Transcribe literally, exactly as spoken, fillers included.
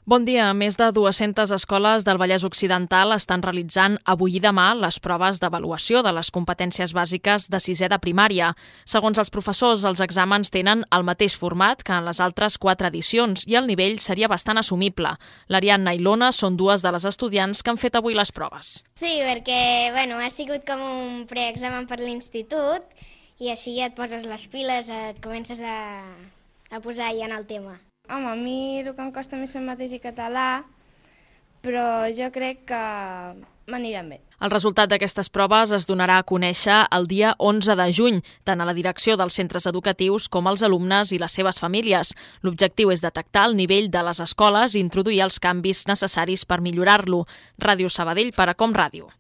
Bon dia. Més de dues-centes escoles del Vallès Occidental estan realitzant avui i demà les proves d'avaluació de les competències bàsiques de sisè de primària. Segons els professors, els exàmens tenen el mateix format que en les altres quatre edicions i el nivell seria bastant assumible. L'Ariadna i l'Ona són dues de les estudiants que han fet avui les proves. Sí, perquè bueno, ha sigut com un preexamen per l'institut i així ja et poses les piles, et comences a, a posar ja en el tema. Home, a mi el que em costa més és mateix i català, però jo crec que m'aniran bé. El resultat d'aquestes proves es donarà a conèixer el dia onze de juny, tant a la direcció dels centres educatius com als alumnes i les seves famílies. L'objectiu és detectar el nivell de les escoles i introduir els canvis necessaris per millorar-lo. Ràdio Sabadell per a Com Ràdio.